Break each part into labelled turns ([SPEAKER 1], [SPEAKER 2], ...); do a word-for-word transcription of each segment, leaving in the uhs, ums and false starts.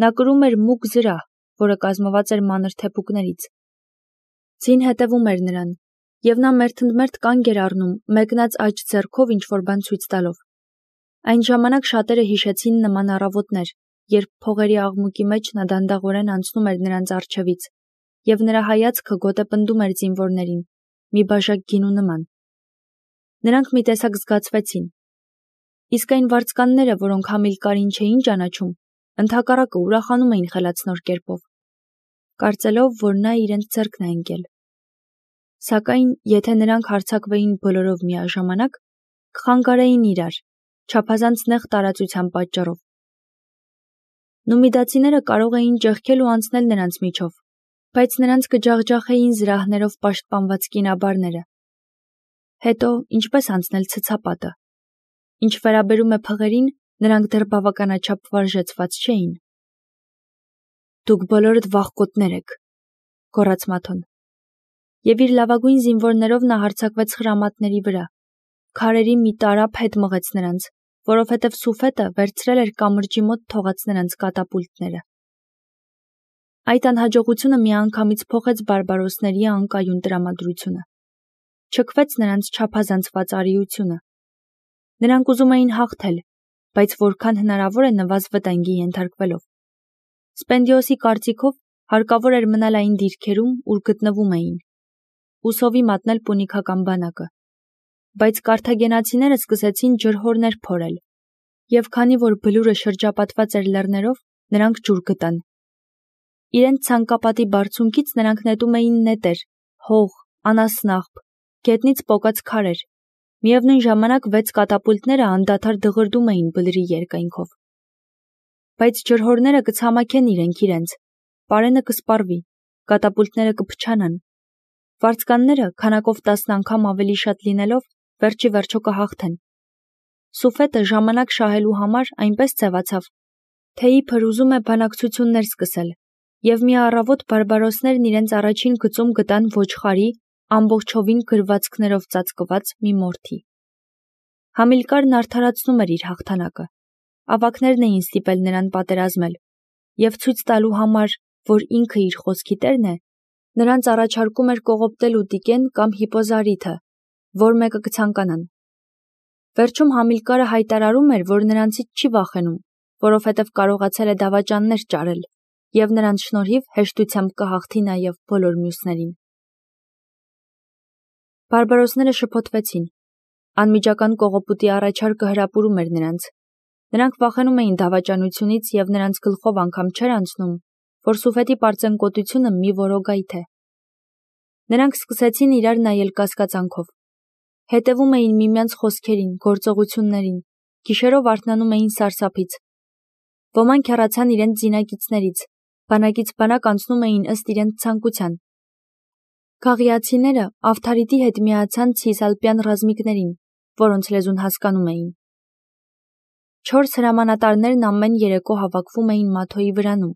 [SPEAKER 1] Նա կրում էր մուգ զրահ, որը կազմված էր մանր թեփուկներից։ Ձին հետևում էր նրան, և նա մերթընդմերթ կանգ էր առնում, մեկնած աջ ձեռքով ինչ-որ բան ցույց տալով։ Այն ժամանակ շատերը հիշեցին նման առավոտներ, երբ փողերի աղմուկի մեջ նա դանդաղորեն անցնում էր նրանց առջևից, և նրա հայացքը գոտեպնդում էր զինվորներին, մի բաժակ գինու նման։ Նրանք մի տեսակ զգացվեցին։ Իսկ այն վարձկանները, որոնք Համիլկարին չէին ճանաչում, ընդհակառակը ուրախանում էին խելացնոր կերպով, կարծելով, որ նա իրենց ձեռքն է ընկել։ Սակայն, եթե նրանք հարձակվեին բոլորով միաժամանակ, կխանգարեին իրար, չափազանց նեղ տարածության պատճառով։ Նումիդացիները կարող էին ճեղքել ու անցնել նրանց միջով, բայց նրանց կջախջախեին զրահներով պաշտպանված կինաբարները։ Հետո, ինչպես անցնել ցցապատը։ Ինչ վերաբերում է փղերին, նրանք դեռ բավականաչափ վարժեցված չէին։ Դուք բոլորդ վախկոտներ եք, գոռաց Մաթոն։ Եվ իր լավագույն զինվորներով նա հարձակվեց խրամատների վրա, քարերի մի տարափ հետ մղեց նրանց, որովհետև Սուֆետը վերցրել էր կամրջի մոտ թողած նրանց կատապուլտները։ Այդ անհաջողությունը միանգամից փոխեց բարբարոսների անկայուն տրամադրությունը։ Չքվեց նրանց չափազանցված արիությունը։ Նրանք ուզում էին հաղթել, բայց որքան հնարավոր է նվազ վտանգի ենթարկվելով։ Սպենդիոսի կարծիքով հարկավոր էր մնալ այն դիրքերում, ուր գտնվում էին, ու սովի մատնել պունիկական բանակը։ Բայց կարթագենացիները սկսեցին ջրհորներ փորել, և քանի որ բլուրը շրջապատված էր լեռներով, նրանք ջուր գտան։ Իրենց ցանկապատի բարձունքից նրանք նետում էին նետեր, հող, անասնաղբ, գետնից պոկած քարեր, միևնույն ժամանակ վեց կատապուլտները անդադար դղրդում էին բլրի երկայնքով։ Բայց ջրհորները կցամաքեն իրենք իրենց, պարենը կսպառվի, կատապուլտները կփչանան։ Վարձկանները, քանակով տասն անգամ ավելի շատ լինելով, վերջի վերջո կհաղթեն։ Սուֆետը ժամանակ շահելու համար այնպես ձևացավ, թե իբր ուզում է բանակցություններ սկսել, և մի առավոտ բարբարոսներն իրենց առաջին գծում գտան ոչխարի, ամբողջովին գրվածքներով ծածկված մի մորթի։ Համիլկարն արդարացնում էր իր հաղթանակը։ Ավագներն էին ստիպել նրան պատերազմել, և ցույց տալու համար, որ ինքը իր խոսքի տերն է, նրանց առաջարկում էր կողոպտել Ուտիկեն կամ Հիպոզարիթը, որ մեկը կցանկանան։ Վերջում Համիլկարը հայտարարում էր, որ նրանցից չի վախենում, որովհետև կարողացել է դավաճաններ ճարել, և նրանց շնորհիվ հեշտությամբ կհաղթի նաև բոլոր մյուսներին։ Բարբարոսները շփոթվեցին։ Անմիջական կողոպուտի առաջարկը հրապուրում էր նրանց։ Նրանք վախենում էին դավաճանությունից և նրանց գլխով անգամ չէր անցնում, որ Սուֆետի պարծենկոտությունը մի որոգայթ է։ Նրանք սկսեցին իրար նայել կասկածանքով։ Հետևում էին միմյանց խոսքերին, գործողություններին, գիշերով արթնանում էին սարսափից։ Ոմանք հեռացան իրենց զինակիցներից, բանակից բանակ անցնում էին ըստ իրենց ցանկության։ Գաղիացիները Ավթարիտի հետ միացան ցիսալպյան ռազմիկներին, որոնց լեզուն հասկանում էին։ Չորս հրամանատարներն ամեն երեկո հավաքվում էին Մաթոյի վրանում,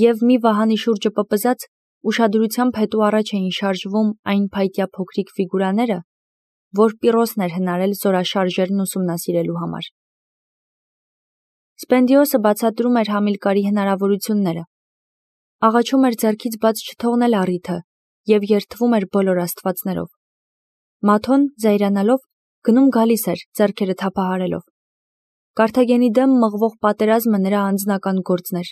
[SPEAKER 1] և մի վահանի շուրջը պպզած, ուշադրությամբ հետո առաջ էին շարժվում այն փայտյա փոքրիկ ֆիգուրաները, որ Պիրոսն էր հնարել զորաշարժերն ուսումնասիրելու համար։ Սպենդիոսը բացատրում էր Համիլկարի հնարավորությունները։ Աղաչում էր ձեռքից բաց չթողնել առիթը և երդվում էր բոլոր աստվածներով։ Մաթոն, զայրանալով, գնում գալիս էր, ձեռքերը թափահարելով։ Կարթագենի դեմ մղվող պատերազմը նրա անձնական գործն էր։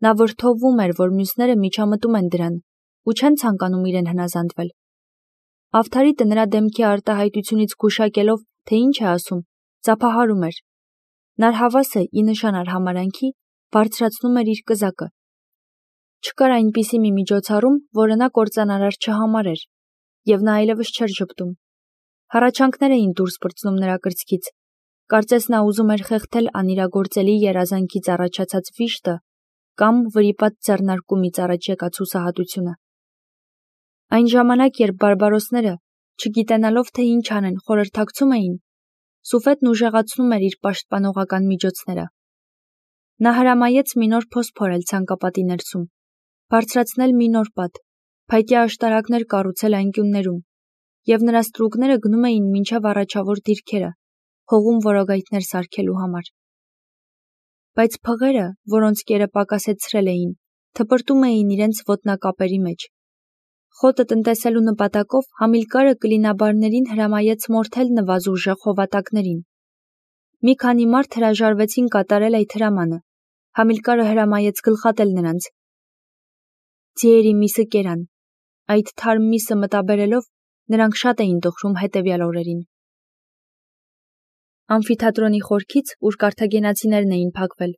[SPEAKER 1] Նա վրդովվում էր, որ մյուսները միջամտում են դրան ու չեն ցանկանում իրեն հնազանդվել։ Ավթարիտը նրա դեմքի արտահայտությունից գուշակելով, թե ինչ է ասում, ծափահարում էր։ Նարհավասը, ի նշան արհամարհանքի, բարձրացնում էր իր կզակը։ Չկար այնպիսի մի միջոցառում, որը նա կործանարար չհամարեր, և նա այլևս չէր ժպտում։ Հառաչանքներ էին դուրս պրծնում նրա կրծքից, կարծես նա ուզում էր խեղդել անիրագործելի երազանքից առաջացած վիշտը կամ վրիպած ձեռնարկումից առաջ եկած հուսահատությունը։ Այն ժամանակ, երբ բարբարոսները, չգիտենալով թե ինչ անեն, խորհրդակցում էին, Սուֆետն ուժեղացնում էր իր պաշտպանողական միջոցները։ Նա հրամայեց մի նոր փոս փորել ցանկապատի ներսում, բարձրացնել մի նոր պատ, փայտյա աշտարակներ կառուցել անկյուններում, և նրա ստրուկները գնում էին մինչև առաջավոր դիրքերը, հողում որոգայթներ սարքելու համար։ բայց փղերը, որոնց կերը պակասեցրել էին, թպրտում էին իրենց ոտնակապերի մեջ։ Խոտը տնտեսելու նպատակով Համիլկարը կլինաբարներին հրամայեց մորթել նվազուժեղ հովատակներին։ Մի քանի մարդ հրաժարվեցին կատարել այդ հրամանը։ Համիլկարը հրամայեց գլխատել նրանց։ Ձիերի միսը կերան։ Այդ թարմ միսը մտաբերելով նրանք շատ էին տխրում հետևյալ օրերին։ Ամֆիթատրոնի խորքից, ուր կարթագենացիներն էին փակվել,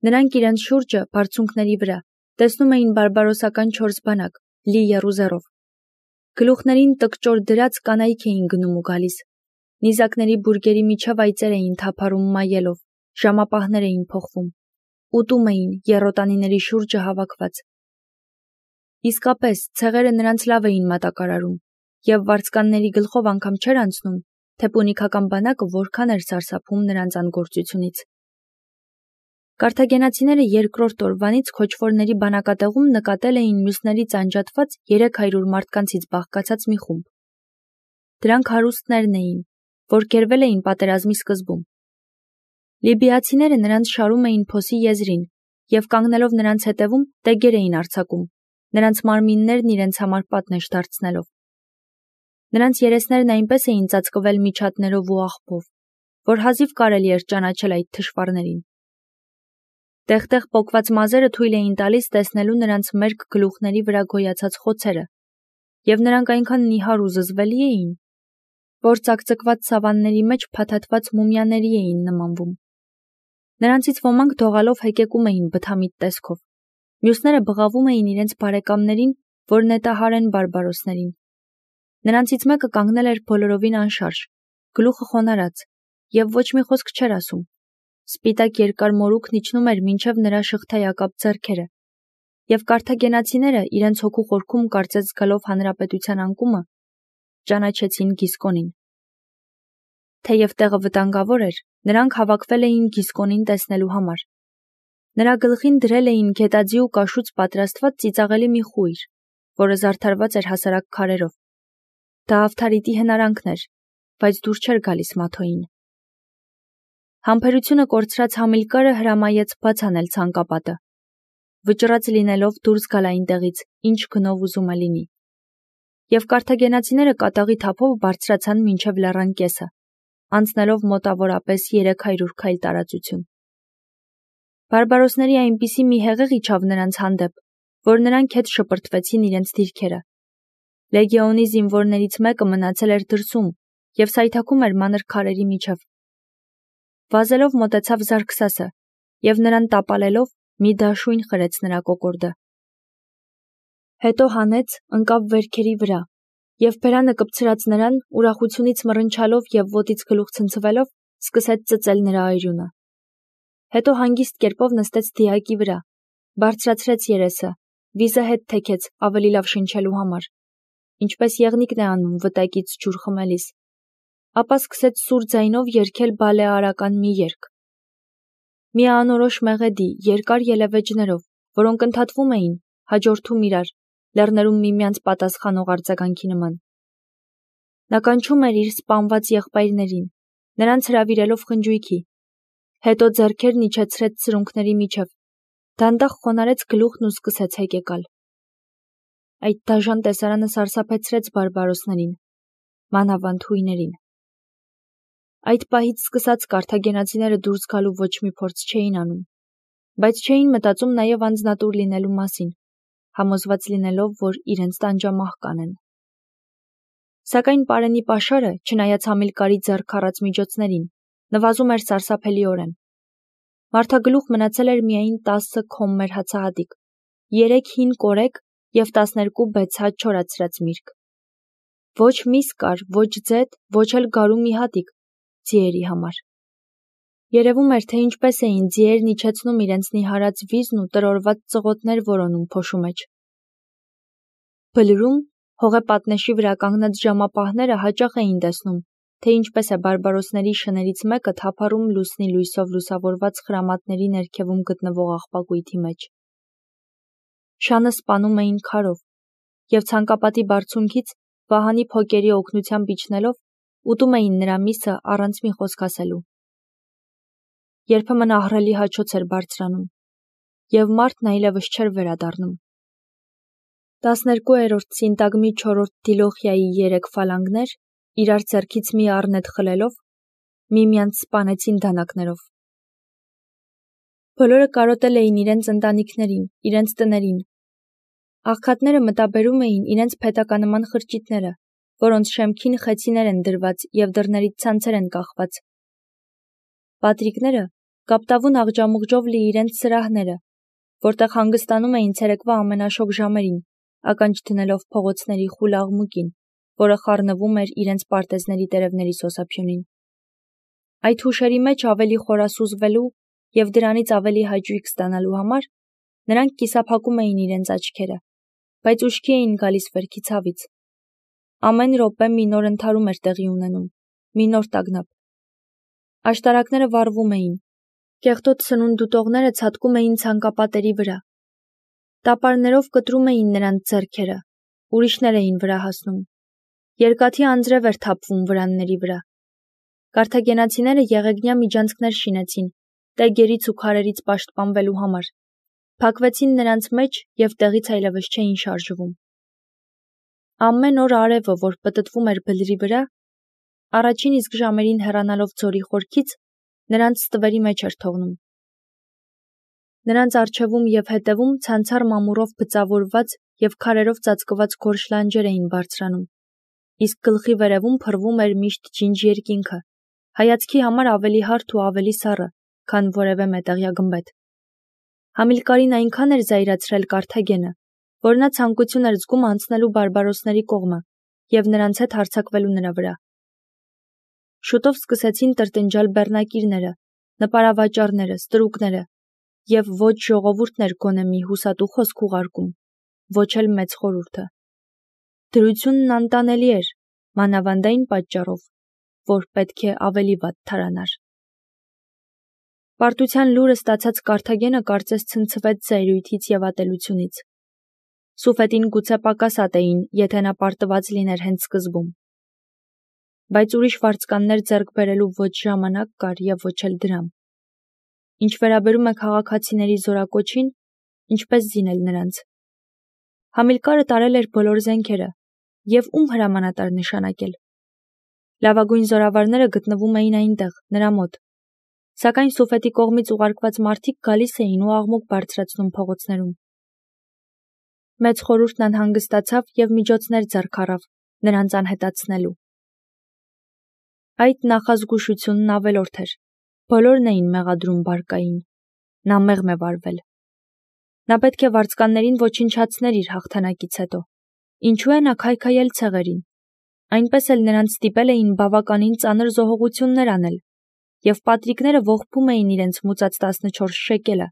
[SPEAKER 1] նրանք իրենց շուրջը, բարձունքների վրա, տեսնում էին բարբարոսական չորս բանակ, լի եռուզեռով։ Գլուխներին տկճոր դրած կանայք էին գնում ու գալիս։ Նիզակների բուրգերի միջև այծեր էին թափառում մայելով, ժամապահներ էին փոխվում, ուտում էին եռոտանիների շուրջը հավաքված։ Իսկապես, ցեղերը նրանց լավ էին մատակարարում, եւ վարձկանների գլխով անգամ չէր անցնում, թե պունիկական բանակը որքան էր սարսափում նրանց անգործությունից։ Կարթագենացիները երկրորդ օրվանից քոչվորների բանակատեղում նկատել էին մյուսներից անջատված երեք հարյուր մարդկանցից բաղկացած մի խումբ։ Դրանք հարուստներն էին, որ կերվել էին պատերազմի սկզբում։ Լիբիացիները նրանց շարում էին փոսի եզրին եւ կանգնելով նրանց հետևում տեգեր էին արձակում, նրանց մարմիններն իրենց համար պատնեշ դարձնելով։ Նրանց երեսներն այնպես էին ծածկվել միջատներով ու աղբով, որ հազիվ կարելի էր ճանաչել այդ թշվառներին։ Տեղ-տեղ պոկված մազերը թույլ էին տալիս տեսնելու նրանց մերկ գլուխների վրա գոյացած խոցերը, եւ նրանք այնքան նիհար ու զզվելի էին, որ ծակծկված սավանների մեջ փաթաթված մումիաների էին նմանվում։ Նրանցից ոմանք դողալով հեկեկում էին բթամիտ տեսքով, մյուսները բղավում էին իրենց բարեկամներին, որ նետահար են բարբարոսներին։ Նրանցից մեկը կանգնել էր բոլորովին անշարժ, գլուխը խոնարհած, եւ ոչ մի խոսք չէր ասում։ Սպիտակ երկար մորուքն իջնում էր մինչև նրա շղթայակապ ձեռքերը, եւ կարթագենացիները իրենց հոգու խորքում կարծես զգալով հանրապետության անկումը, ճանաչեցին Գիսկոնին։ Թեև տեղը վտանգավոր էր, նրանք հավաքվել էին Գիսկոնին տեսնելու համար։ Նրա գլխին դրել էին գետաձի ու կաշուց պատրաստված ծիծաղելի մի խույր, որը զարդարված էր հասարակ քարերով։ Դա Ավթարիտի հնարանքն էր, բայց դուր չէր գալիս Մաթոյին։ Համբերությունը կորցրած Համիլկարը հրամայեց բաց անել ցանկապատը, վճռած լինելով դուրս գալ այնտեղից, ինչ գնով ուզում է լինի։ Եվ կարթագենացիները կատաղի թափով բարձրացան մինչև լեռան կեսը, անցնելով մոտավորապես երեք հարյուր քայլ տարածություն։ Բարբարոսների այնպիսի մի հեղեղ իջավ նրանց հանդեպ, որ նրանք հետ շպրտվեցին իրենց դիրքերը։ Լեգիոնի զինվորներից մեկը մնացել էր դրսում եւ սայթաքում էր մանր քարերի միջև։ Վազելով մոտեցավ Զարքսասը եւ նրան տապալելով մի դաշույն խրեց նրա կոկորդը։ Հետո հանեց, ընկավ վերքերի վրա եւ բերանը կպցրած նրան ուրախությունից մռնչալով եւ ոտից գլուխ ցնցվելով սկսեց ծծել նրա այրունը։ Հետո հանգիստ կերպով նստեց դիակի վրա, բարձրացրեց երեսը, վիզը հետ թեքեց ավելի լավ շնչելու համար, ինչպես եղնիկն է անում վտակից ջուր խմելիս, ապա սկսեց սուր ձայնով երգել բալեարական մի երգ։ Մի անորոշ մեղեդի երկար ելևէջներով, որոնք ընդհատվում էին, հաջորդում իրար, լեռներում միմյանց պատասխանող արձագանքի նման։ Նա կանչում էր իր սպանված եղբայրներին, նրանց հրավիրելով խնջույքի, հետո ձեռքերն իջեցրեց սրունքների միջև, դանդաղ խոնարհեց գլուխն ու սկսեց հեկեկալ։ Այդ դաժան տեսարանը սարսափեցրեց բարբարոսներին, մանավանդ հույներին։ Այդ պահից սկսած կարթագենացիները դուրս գալու ոչ մի փորձ չէին անում, բայց չէին մտածում նաև անձնատուր լինելու մասին, համոզված լինելով, որ իրենց տանջամահ կանեն։ Սակայն Պարենի պաշարը, չնայած Համիլկարի ձեռք առած միջոցներին, նվազում էր սարսափելիորեն։ Մարդագլուխ մնացել էր միայն տասը քոմմեր հացահատիկ, երեք հին կորեկ եւ տասներկու բեցհատ չորացրած միրգ։ Ոչ միս կար, ոչ ձետ, ոչ էլ գարու մի հատիկ ձիերի համար։ Երևում էր, թե ինչպես էին ձիերն իջեցնում իրենց նիհարած վիզն ու տրորված ծղոտներ որոնում փոշու մեջ։ Բլրում հողե պատնեշի վրա կանգնած ժամապահները հաճախ էին տեսնում, թե ինչպես է բարբարոսների շներից մեկը թափառում լուսնի լույսով լուսավորված խրամատների ներքևում գտնվող աղբակույտի մեջ։ Շանը սպանում էին քարով եւ ցանկապատի բարձունքից վահանի փոկերի օգնությամբ իջնելով ուտում էին նրա միսը առանց մի խոսք ասելու։ երբեմն ահռելի հաչոց էր բարձրանում, և մարդն այլևս չէր վերադառնում։ տասներկուերորդ սինտագմի չորրորդ դիլոխիայի երեք ֆալանգներ, իրար ձեռքից մի առնետ խլելով, միմյանց սպանեցին դանակներով։ Բոլորը կարոտել էին իրենց ընտանիքներին, իրենց տներին։ Աղքատները մտաբերում էին իրենց փետականման խրճիթները, որոնց շեմքին խեցիներ են դրված և դռներից ցանցեր են կախված։ Պատրիկները կապտավուն աղջամուղջով լի իրենց սրահները, որտեղ հանգստանում էին ցերեկվա ամենաշոգ ժամերին, ականջ դնելով փողոցների խուլ աղմուկին, որը խառնվում էր իրենց պարտեզների տերևների սոսափյունին։ Այդ հուշերի մեջ ավելի խորասուզվելու և դրանից ավելի հաճույք ստանալու համար նրանք կիսափակում էին իրենց աչքերը, բայց ուշքի էին գալիս վերքի ցավից։ Ամեն րոպե մի նոր ընդհարում էր տեղի ունենում, մի նոր տագնապ։ Աշտարակները վառվում էին, կեղտոտ սնունդ ուտողները ցատկում էին ցանկապատերի վրա։ Տապարներով կտրում էին նրանց ձեռքերը, ուրիշներ էին վրա հասնում։ Երկաթի անձրև էր թափվում վրանների վրա։ Կարթագենացիները եղեգնյա միջանցքներ շինեցին, տեգերից ու քարերից պաշտպանվելու համար, փակվեցին նրանց մեջ և տեղից այլևս չէին շարժվում։ Ամեն օր արևը, որ պտտվում էր բլրի վրա, առաջին իսկ ժամերին հեռանալով ձորի խորքից, նրանց ստվերի մեջ էր թողնում։ Նրանց առջևում և հետևում ցանցառ մամուռով բծավորված և քարերով ծածկված գորշ լանջեր էին բարձրանում, իսկ գլխի վերևում փռվում էր միշտ ջինջ երկինքը, հայացքի համար ավելի հարթ ու ավելի սառը, քան որևէ մետաղյա գմբեթ։ Համիլկարին այնքան էր զայրացրել Կարթագենը, որ նա ցանկություն էր զգում անցնելու բարբարոսների կողմը և նրանց հետ հարձակվելու նրա վրա։ Շուտով սկսեցին տրտնջալ բեռնակիրները, նպարավաճառները, ստրուկները, և ոչ ժողովուրդն էր գոնե մի հուսատու խոսք ուղարկում, ոչ էլ մեծ խորհուրդը։ Դրությունն անտանելի էր, մանավանդ այն պատճառով, որ պետք է ավելի վատ թարանար։ Պարտության լուրը ստացած Կարթագենը կարծես ցնցվեց զայրույթից և ատելությունից։ Սուֆետին գուցե պակաս ատեին, եթե նա պարտված լիներ հենց սկզբում։ Բայց ուրիշ վարձկաններ ձեռք բերելու ոչ ժամանակ կար և ոչ էլ դրամ։ Ինչ վերաբերում է քաղաքացիների զորակոչին, ինչպես զինել նրանց։ Համիլկարը տարել էր բոլոր զենքերը և ում հրամանատար նշանակել։ Լավագույն զորավարները գտնվում էին այնտեղ, նրա մոտ, սակայն Սուֆետի կողմից ուղարկված մարդիկ գալիս էին ու աղմուկ բարձրացնում փողոցներում։ Մեծ խորհուրդն անհանգստացավ և միջոցներ ձեռք առավ նրանց անհետացնելու։ Այդ նախազգուշությունն ավելորդ էր։ Բոլորն էին մեղադրում բարկային։ Նա մեղմ է վարվել։ Նա պետք է վարձկաններին ոչնչացներ իր հաղթանակից հետո։ Ինչու է նա քայքայել ցեղերին։ Այնպես էլ նրանց ստիպել էին բավականին ծանր զոհողություններ անել, և պատրիկները ողբում էին իրենց մուծած տասնչորս շեկելը,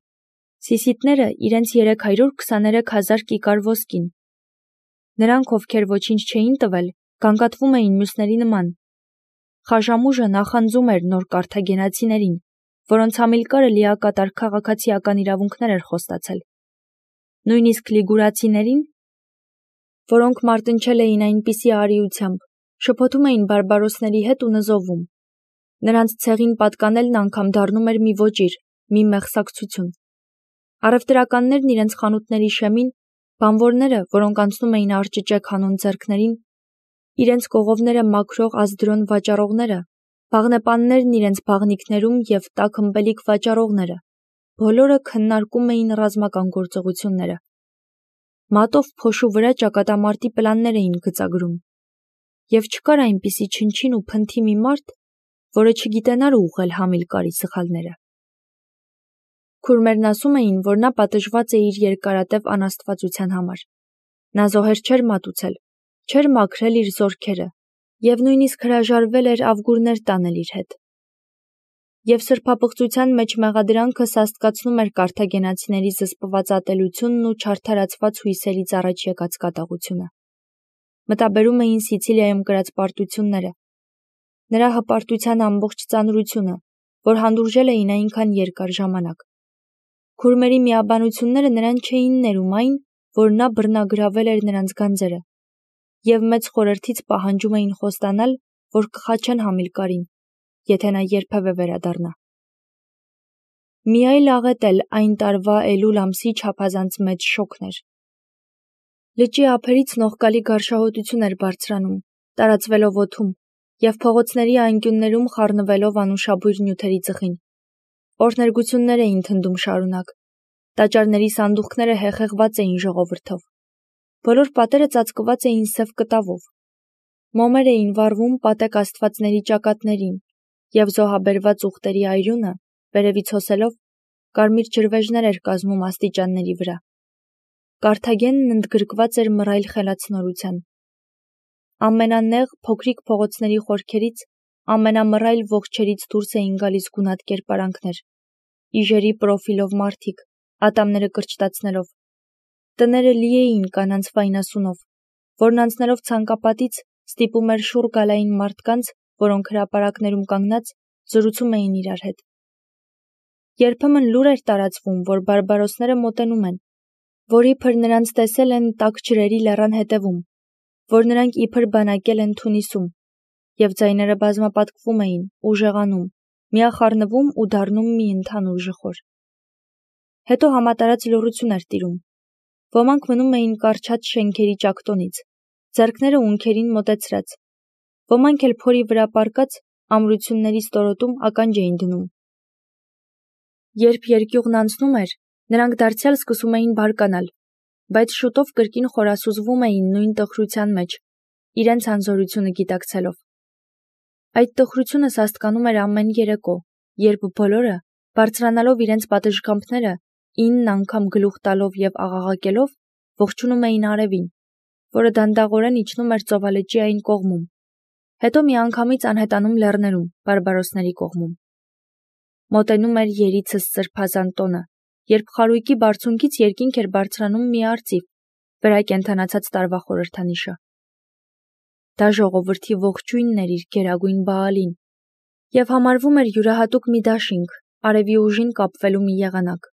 [SPEAKER 1] սիսիթները իրենց երեք հարյուր քսաներեք հազար կիկար ոսկին։ Նրանք, ովքեր ոչինչ չէին տվել, գանգատվում էին մյուսների նման։ Խաժամուժը նախանձում էր նոր կարթագենացիներին, որոնց Համիլկարը լիակատար քաղաքացիական իրավունքներ էր խոստացել։ Նույնիսկ լիգուրացիներին, որոնք մարտնչել էին այնպիսի արիությամբ, շփոթում էին բարբարոսների հետ ու նզովում։ Նրանց ցեղին պատկանելն անգամ դառնում էր մի ոճիր, մի մեղսակցություն։ Առևտրականներն իրենց խանութների շեմին, բանվորները, որոնք անցնում էին արճճեկ հանուն ձեռքներին, իրենց կողովները մաքրող ազդրոն վաճառողները, բաղնեպաններն իրենց բաղնիքներում և տաք ըմպելիք վաճառողները, բոլորը քննարկում էին ռազմական գործողությունները։ Մատով փոշու վրա ճակատամարտի պլաններ էին գծագրում։ Եվ չկար այնպիսի չնչին ու փնթի մի մարդ, որը չգիտենար ուղղել Համիլկարի սխալները։ Քուրմերն ասում էին, որ նա պատժված է իր երկարատև անաստվածության համար։ Նա զոհեր չէր մատուցել, չէր մաքրել իր զորքերը և նույնիսկ հրաժարվել էր ավգուրներ տանել իր հետ։ Եվ սրբապղծության մեջ մեղադրանքը սաստկացնում էր կարթագենացիների զսպված ատելությունն ու չարդարացված հույսերից առաջ եկած կատաղությունը։ Մտաբերում էին Սիցիլիայում կրած պարտությունները, նրա հպարտության ամբողջ ծանրությունը, որ հանդուրժել էին այնքան երկար ժամանակ։ Քուրմերի միաբանությունները նրան չէին ներում այն, որ նա բռնագրավել էր նրանց գանձերը, և մեծ խորհրդից պահանջում էին խոստանալ, որ կխաչեն Համիլկարին, եթե նա երբևէ վերադառնա։ Մի այլ աղետ էլ այն տարվա էլուլ ամսի չափազանց մեծ շոկն էր։ Լճի ափերից նողկալի գարշահոտություն էր բարձրանում, տարածվելով օդում և փողոցների անկյուններում խառնվելով անուշաբույր նյութերի ծխին։ Օրհներգություններ էին թնդում շարունակ։ Տաճարների սանդուղքները հեղեղված էին ժողովրդով։ Բոլոր պատերը ծածկված էին սև կտավով։ Մոմեր էին վառվում պատեկ աստվածների ճակատներին, և զոհաբերված ուղտերի այրունը, վերևից հոսելով, կարմիր ջրվեժներ էր կազմում աստիճանների վրա։ Կարթագենն ընդգրկված էր մռայլ խելացնորության։ Ամենանեղ փոքրիկ փողոցների խորքերից, ամենամռայլ ողջերից դուրս էին գալիս գունատ կերպարանքներ, իժերի պրոֆիլով մարդիկ, ատամները կրճտացնելով։ Տները լի էին կանանց վայնասունով, որն անցնելով ցանկապատից ստիպում էր շուռ գալ այն մարդկանց, որոնք հրապարակներում կանգնած զրուցում էին իրար հետ։ Երբեմն լուր էր տարածվում, որ բարբարոսները մոտենում են, որ իբր նրանց տեսել են տաք ջրերի լեռան հետևում, որ նրանք իբր բանակել են Թունիսում, և ձայները բազմապատկվում էին, ուժեղանում, միախառնվում ու դառնում մի ընդհանուր ժխոր։ Հետո համատարած լռություն էր տիրում։ Ոմանք մնում էին կառչած շենքերի ճակտոնից, ձեռքները ունքերին մոտեցրած, ոմանք էլ փորի վրա պառկած ամրությունների ստորոտում ականջ էին դնում։ Երբ երկյուղն անցնում էր, նրանք դարձյալ սկսում էին բարկանալ, բայց շուտով կրկին խորասուզվում էին նույն տխրության մեջ, իրենց անզորությունը գիտակցելով։ Այդ տխրությունը սաստկանում էր ամեն երեկո, երբ բոլորը, բարձրանալով իրենց պատշգամբները, ինն անգամ գլուխ տալով և աղաղակելով, ողջունում էին արևին, որը դանդաղորեն իջնում էր ծովալճի այն կողմում, հետո միանգամից անհետանում լեռներում, բարբարոսների կողմում։ Մոտենում էր երիցս սրբազան տոնը, երբ խարույկի բարձունքից երկինք էր բարձրանում մի արծիվ, վերակենդանացած տարվա խորհրդանիշը։ Դա ժողովրդի ողջույնն էր իր գերագույն Բաալին, և համարվում էր յուրահատուկ մի դաշինք, արևի ուժին կապվելու մի եղանակ։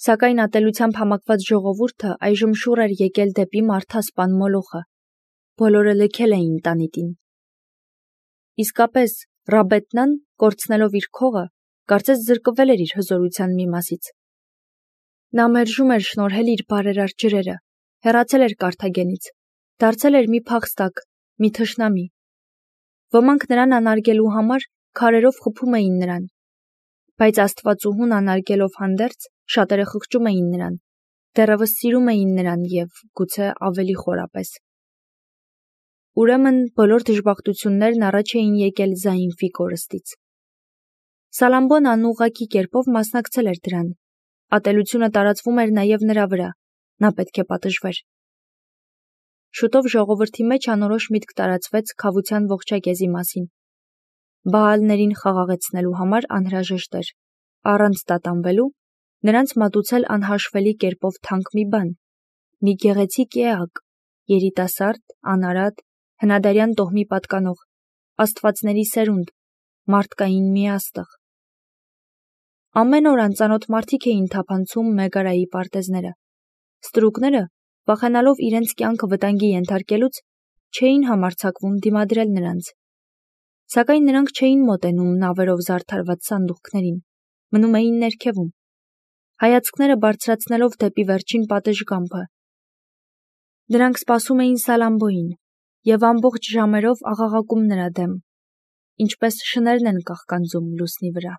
[SPEAKER 1] Սակայն ատելությամբ համակված ժողովուրդը այժմ շուռ էր եկել դեպի մարդասպան Մոլոխը։ Բոլորը լքել էին տանիտին։ Իսկապես, Ռաբետնան, կորցնելով իր քողը, կարծես զրկվել էր իր հզորության մի մասից։ Նա մերժում էր շնորհել իր բարերար ջրերը, հեռացել էր Կարթագենից, դարձել էր մի փախստակ, մի թշնամի։ Ոմանք նրան անարգելու համար քարերով խփում էին նրան, բայց Աստվածուհուն անարգելով հանդերձ, շատերը խղճում էին նրան, դեռևս սիրում էին նրան և, գուցե, ավելի խորապես։ Ուրեմն բոլոր դժբախտություններն առաջ էին եկել Զայինֆի կորստից։ Սալամբոն անուղղակի կերպով մասնակցել էր դրան։ Ատելությունը տարածվում էր նաև նրա վրա, նա պետք է պատժվեր։ Շուտով ժողովրդի մեջ անորոշ միտք տարածվեց քավության ողջակեզի մասին։ Բաալներին խաղաղեցնելու համար անհրաժեշտ էր, առանց տատանվելու, նրանց մատուցել անհաշվելի կերպով թանկ մի բան, մի գեղեցիկ էակ, երիտասարդ, անարատ, հնադարյան տոհմի պատկանող, աստվածների սերունդ, մարդկային մի աստղ։ Ամեն օր անծանոթ մարդիկ էին թափանցում Մեգարայի պարտեզները։ Ստրուկները, վախենալով իրենց կյանքը վտանգի ենթարկելուց, չէին համարձակվում դիմադրել նրանց։ Սակայն նրանք չէին մոտենում նավերով զարդարված սանդուղքներին, մնում էին ներքևում, հայացքները բարձրացնելով դեպի վերջին պատշգամբը։ Նրանք սպասում էին Սալամբոյին և ամբողջ ժամերով աղաղակում նրա դեմ, ինչպես շներն են կաղկանձում լուսնի վրա։